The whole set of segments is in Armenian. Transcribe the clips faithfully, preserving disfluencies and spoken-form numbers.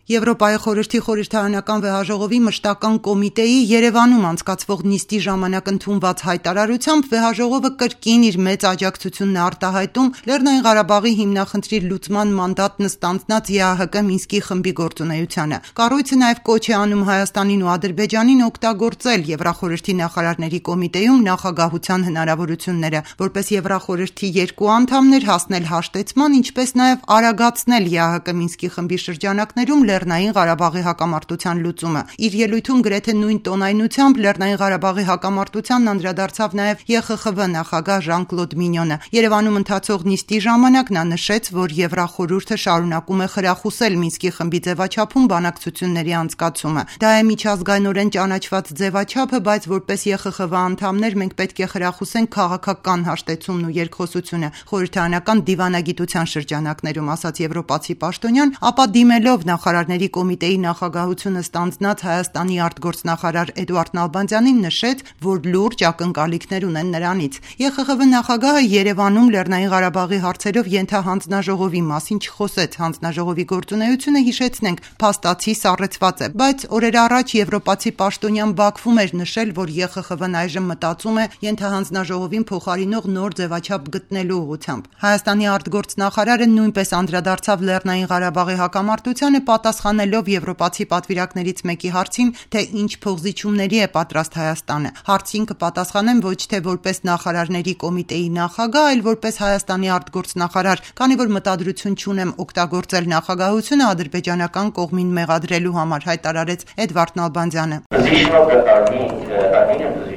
Եվրոպայի խորհրդի խորհրդարանական վեհաժողովի մշտական կոմիտեի Երևանում անցկացվող նիստի ժամանակ ընդունված հայտարարությամբ վեհաժողովը կրկին իր մեծ աջակցությունն է արտահայտում Լեռնային Ղարաբաղի հիմնախնդրի լուծման մանդատն ստանձնած ԵԱՀԿ Մինսկի խմբի գործունեությանը։ Կառույցը նաև կոչ է անում Հայաստանին ու Ադրբեջանին օգտագործել Եվրախորհրդի նախարարների կոմիտեում նախագահության հնարավորությունները, որպես Եվրախորհրդի երկու անդամներ հասնել հաշտեցման, ինչպես նաև արագացնել ԵԱՀԿ Մինսկի խմբի շրջանակներում Լեռնային Ղարաբաղի հակամարտության լուծումը։ Իր ելույթում գրեթե նույն տոնայնությամբ Լեռնային Ղարաբաղի հակամարտությանն անդրադարձավ նաև ԵԽԽՎ նախագահ Ժան-Կլոդ Մինյոնը։ Երևանում ընթացող նիստի ժամանակ նա նշեց, որ Եվրախորհուրդը շարունակում է խրախուսել Մինսկի խմբի ձևաչափում բանակցությունների անցկացումը։ Դա է միջազգայինորեն ճանաչված ձևաչափը, բայց որպես ԵԽԽՎ անդամներ մենք պետք է խրախուսենք քաղաքական հաշտեցումն ու երկխոսությունը խորհրդարանական դիվանագիտության շրջանակներում, ասաց եվրոպացի պաշտոնյան, ապա դիմելով նախարարների կոմիտեի նախագահությունը ստանձնած Հայաստանի արտգործնախարար Էդուարդ Նալբանդյանին նշեց, որ լուրջ ակնկալիքներ ունեն նրանից։ ԵԽԽՎ նախագահը Երևանում Լեռնային Ղարաբաղի հարցերով ենթահանձնաժողովի մասին չխոսեց։ Հանձնաժողովի գործունեությունը, հիշեցնենք, փաստացի սառեցված է, բայց օրեր առաջ եվրոպացի պաշտոնյան Բաքվում էր նշել, որ ԵԽԽՎ-ն այժմ մտածում է ենթահանձնաժողովին փոխարինող նոր ձևաչափ գտնելու ուղղությամբ։ Հայաստանի արտգործնախարարը նույնպես անդրադարձավ Լեռնային Ղարաբաղի հակամարտությանը, պատասխանելով եվրոպացի պատվիրակներից մեկի հարցին, թե ինչ փոխզիջումների է պատրաստ Հայաստանը։ Հարցին կպատասխանեմ ոչ թե որպես նախարարների կոմիտեի նախագահ, այլ որպես Հայաստանի արտգործնախարար, քանի որ մտադրություն չունեմ օգտագործել նախագահությունը ադրբեջանական կողմին մեղադրելու համար, հայտարարեց Էդվարդ Նալբանդյանը։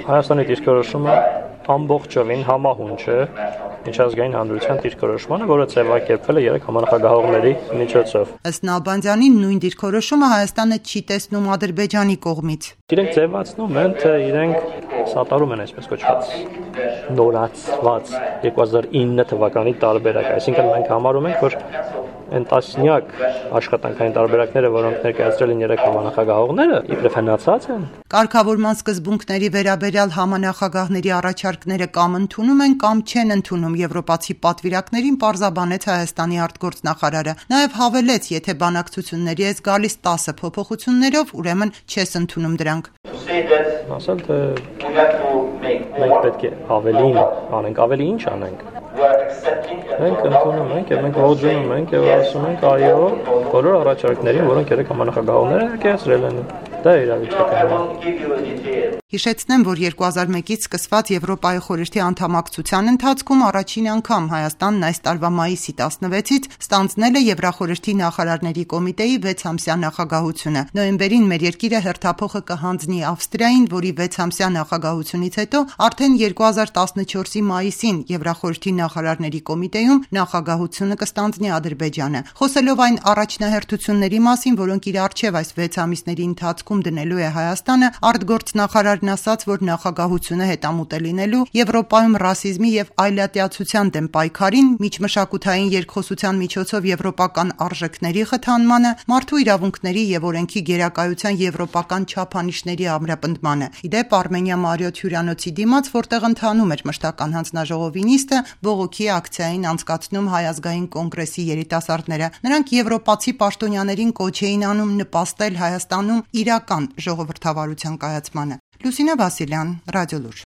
Հայաստանի դիրքորոշումը ամբողջովին համահունչ է միջազգային հանրության դիրքորոշմանը, որը ձևակերպվել է երեք համանախագահողների միջոցով։ Ըստ Նալբանդյանի, նույն դիրքորոշումը Հայաստանը չի տեսնում Ադրբեջանի կողմից։ Իրենք ձևացնում են, թե իրենք սատարում են այսպես կոչված նորացված երկու հազար ինը թվականի տարբերակ, այսինքն մենք համարում ենք, որ այն տասնյակ աշխատանքային տարբերակները, որոնք ներկայացրել են երեք համանախագահողները, իբրև հնացած են։ Կարգավորման սկզբունքների վերաբերյալ համանախագահների առաջարկները կամ ընդունում են, կամ չեն ընդունում եվրոպացի պատվիրակներին, պարզաբանեց Հայաստանի արտգործնախարարը։ Նաև հավելեց, եթե բանակցությունների ես գալիս տասը փոփոխություններով, ուրեմն չես ընդունում դրանք։ Ասել, թե մենք պետք է ավելին անենք, ավելի ինչ անենք։ Մենք ընդունում ենք եւ մենք ողջունում ենք եւ ասում ենք այո բոլոր առաջարկներին, որոնք երեք համանախագահողները ներկայացրել են։ Դա է իրավիճակը։ Հիշեցնեմ, որ երկու հազար մեկից սկսված Եվրոպայի խորհրդի անդամակցության ընթացքում առաջին անգամ Հայաստանն այս տարվա մայիսի տասնվեցից ստանձնել է Եվրախորհրդի նախարարների կոմիտեի վեցամսյա նախագահությունը։ Նոյեմբերին մեր երկիրը հերթափոխը կհանձնի Ավստրիային, որի վեցամսյա նախագահությունից հետո արդեն երկու հազար տասնչորսի մայիսին Եվրախորհրդի նախարարների կոմիտեում նախագահությունը կստանձնի Ադրբեջանը։ Խոսելով այն առաջնահերթությունների մասին, որոնք իր առջև այս վեց ամիսների ընթացքում դնելու է Հայաստանը, արտգործնախարար ասաց, որ նախագահությունը հետամուտ է լինելու Եվրոպայում ռասիզմի եւ այլատիացության դեմ պայքարին, միջմշակութային երկխոսության միջոցով եվրոպական արժեքների խթանմանը, մարդու իրավունքների եւ օրենքի գերակայության եվրոպական չափանիշների ամրապնդմանը։ Իդեպ Արմենիա Մարիոթ հյուրանոցի դիմաց, որտեղ ընթանում էր մշտական հանձնաժողովի նիստը, բողոքի ակցիային անցկացնում Հայ ազգային կոնգրեսի երիտասարդները։ Նրանք եվրոպացի պաշտոնյաներին կոչ էին անում նպաստել Հայաստանում իրական ժողովրդավարության կայացմանը։ Լուսինե Վասիլյան, Ռադիոլուր։